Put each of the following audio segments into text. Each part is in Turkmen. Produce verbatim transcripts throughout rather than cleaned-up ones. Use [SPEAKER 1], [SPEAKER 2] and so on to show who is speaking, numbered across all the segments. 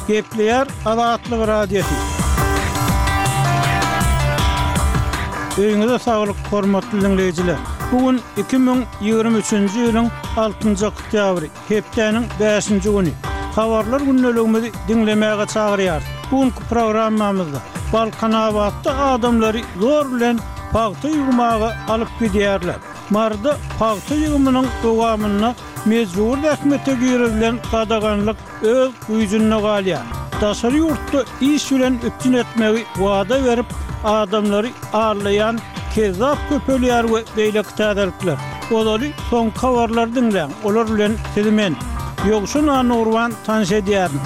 [SPEAKER 1] Gepleýär Azatlyk Radiosy. Öýüňize saglyk, hormatly diňleýjiler! Bu gün iki müň ýigrimi üçünji ýylyň altynjy oktýabry, hepdäniň bäşinji güni. Habarlar gündeligimizi diňlemäge çagyrýarys. Bu günki programmamyzda Balkanabatda adamlary zor bilen pagta ýygmaga alyp gidýärler. Maryda pagta ýygymynyň dowamynda mejbury zähmete girizilen gadaganlyk öz güýjünde galýar. Daşary ýurtda iş bilen üpjün etmegi wada berip, adamlary aldaýan kezzap köpelýär we beýleki täzelikler. Ozaly soňky habarlary diňläň, olar bilen sizi men, Ýowşan Annagurban tanyş edýärin.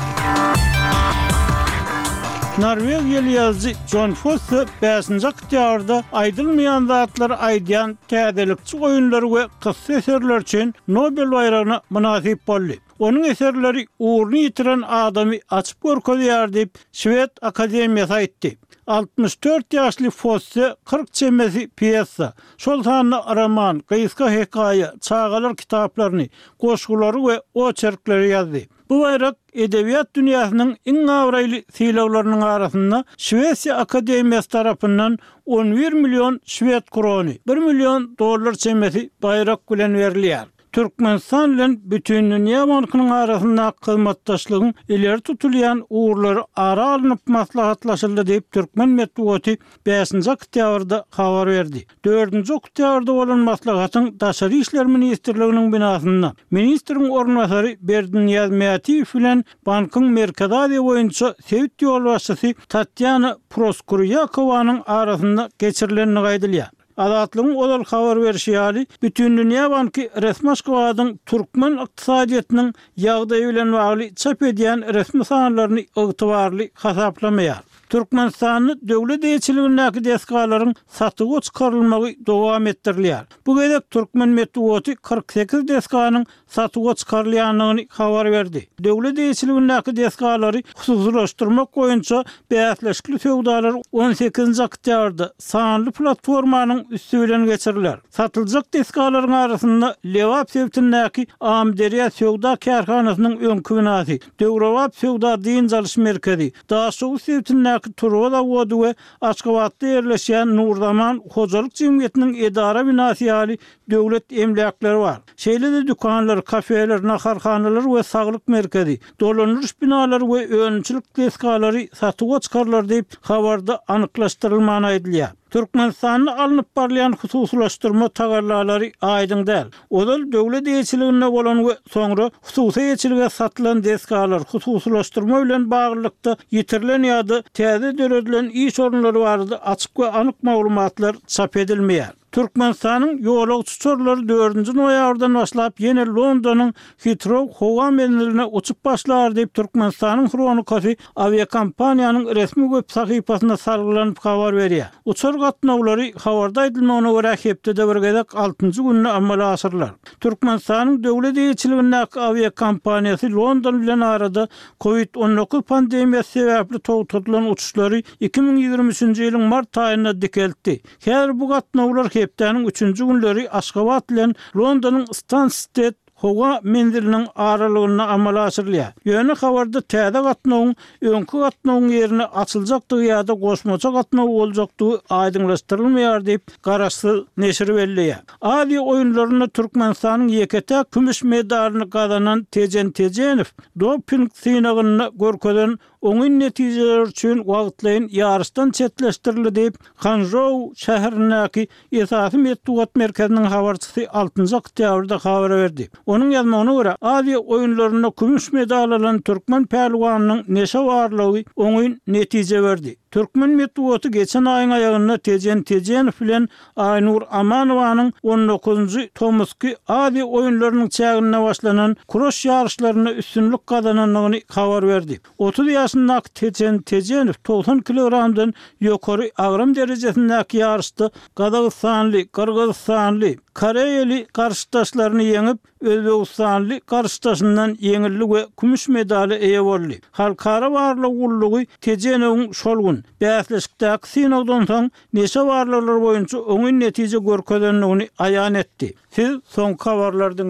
[SPEAKER 1] Norwegiýaly ýazyjy Jon Fosse bäşinji oktýabrda aýdylmaýan zatlary aýdýan täzelikçi oýunlary we kyssa eserleri üçin Nobel baýragyna mynasyp boldy. Onuň eserleri ugruny ýitiren adamy açyp görkezýär diýip, Şwed akademiýasy aýtdy. Altmyş dört ýaşly Fosse kyrk çemesi pýesa, şol sanda roman, gysga hekaýa, çagalar kitaplaryny, goşgulary we oçerkleri ýazdy. Bu baýrak edebiýat dünýäsiniň iň abraýly sylaglarynyň arasynda Şwesiýa akademiýasy tarapyndan on bir million şwed krony, bir million dollar çemesi baýrak bilen berilýär. Türkmenistan bilen Bütindünýä bankynyň arasyndaky hyzmatdaşlygyň ileri tutulýan ugurlary ara alnyp maslahatlaşyldy diýip, türkmen metbugaty bäşinji oktýabrda habar berdi. Dördünji oktýabrda bolan maslahatyň Daşary işler ministrliginiň binasynda ministriň orunbasary Berdinyýaz Mätiýew bilen bankyň Merkezi Aziýa boýunça sebit ýolbaşçysy Tatýana Proskurýakowanyň arasynda geçirilendigi aýdylýar. Azatlygyň ozal habar berşi ýaly, Bütindünýä banky resmi Aşgabadyň türkmen ykdysadyýetiniň ýagdaýy bilen bagly çap edýän resmi sanlaryny ygtybarly hasaplamaýar. Türkmenistanda döwlet eýeçiligindäki desgalaryň satuwa çykarylmagy dowam etdirilýär. Bu gezek türkmen metbugaty kyrk sekiz desganyň satuwa çykarylýandygyny habar berdi. Döwlet eýeçiligindäki desgalary hususylaşdyrmak boýunça bäsleşikli söwdalar on sekizinji oktýabrda sanly platformanyň üsti bilen geçiriler. Satyljak desgalaryň arasynda Lebap sebitindäki Amyderýa söwda kärhanasynyň öňki binasy, döwrebap söwda-dynç alyş merkezi, Daşoguz sebitindäki turba zawody we Aşgabatda ýerleşýän Nurzaman hojalyk jemgyýetiniň edara binasy ýaly döwlet emläkleri bar. Şeýle-de dükanlar, kafeler, naharhanalar we saglyk merkezi, dolandyryş binalary we önümçilik desgalary satuwa çykarylar diýip, habarda anyklaşdyrylman aýdylýar. Türkmenistanda alnyp barylýan hususylaşdyrma tagallalary aýdyň däl. Ozal döwlet eýeçiliginde bolan we soňra hususy eýeçilige satylan desgalar, hususylaşdyrma bilen baglylykda ýitirilen ýa-da täze döredilen iş orunlary barada açyk we anyk maglumatlar çap edilmeýär. Türkmenistanyň ýolagçy uçarlary dördünji noýabrdan başlap ýene Londonyň Hitrou howa menziline uçup başlar diýip, Türkmenistanyň Hronikasy awiakompaniýanyň resmi web sahypasyna salgylanyp habar berýär. Uçar gatnawlary, habarda aýdylmagyna görä, hepdede bir gezek altynjy günde amala aşyrylar. Türkmenistanyň döwlet eýeçiligindäki awiakompaniýasy London bilen arada Covid on dokuz pandemiýasy sebäpli togtadylan uçuşlary iki müň ýigrimi üçünji ýylyň mart aýynda dikeltdi. Häzir bu gatnawlar hepdäniň üçünji günleri Aşgabat bilen Londonyň Stansted howa menziliniň aralygynda amala aşyrylýar. Ýöne habarda täze gatnawyň öňki gatnawyň ýerine açyljakdygy ýa-da goşmaça gatnaw boljakdygy aýdyňlaşdyrylmaýar diýip, garaşsyz neşir belleýär. Aziýa oýunlarynda Türkmenistanyň ýeke-täk kümüş medalyny gazanan Tejen Tejenow doping synagynda görkezen oňyn netijeler üçin wagtlaýyn ýaryşdan çetleşdirildi diýip, Hanžou şäherindäki esasy metbugat merkeziniň habarçysy altynjy oktýabrda habar berdi. Onuň ýazmagyna görä, Aziýa oýunlarynda kümüş medal alan türkmen pälwanynyň neşe barlagy oňyn netije berdi. Türkmen metbugaty geçen aýyň aýagynda Tejen Tejenow bilen Aýnur Amanowanyň on dokuzynjy tomusky Aziýa oýunlarynyň çäginde başlanan kuraş ýaryşlarynda üstünlik gazanandygyny habar berdi. Otuz ýaşyndaky Tejen Tejenow togsan kilogramdan ýokary agram derejesindäki ýaryşda gazagystanly, gyrgyzystanly, koreýaly garşydaşlaryny ýeňip, özbegistanly garşydaşyndan ýeňildi we kümüş medala eýe boldy. Halkara barlag gullugy Tejenowyň şol gün, bäsleşikdäki synagdan soň neşe barlaglary boýunça oňyn netije görkezendigini aýan etdi. Siz soňky habarlary diňläň.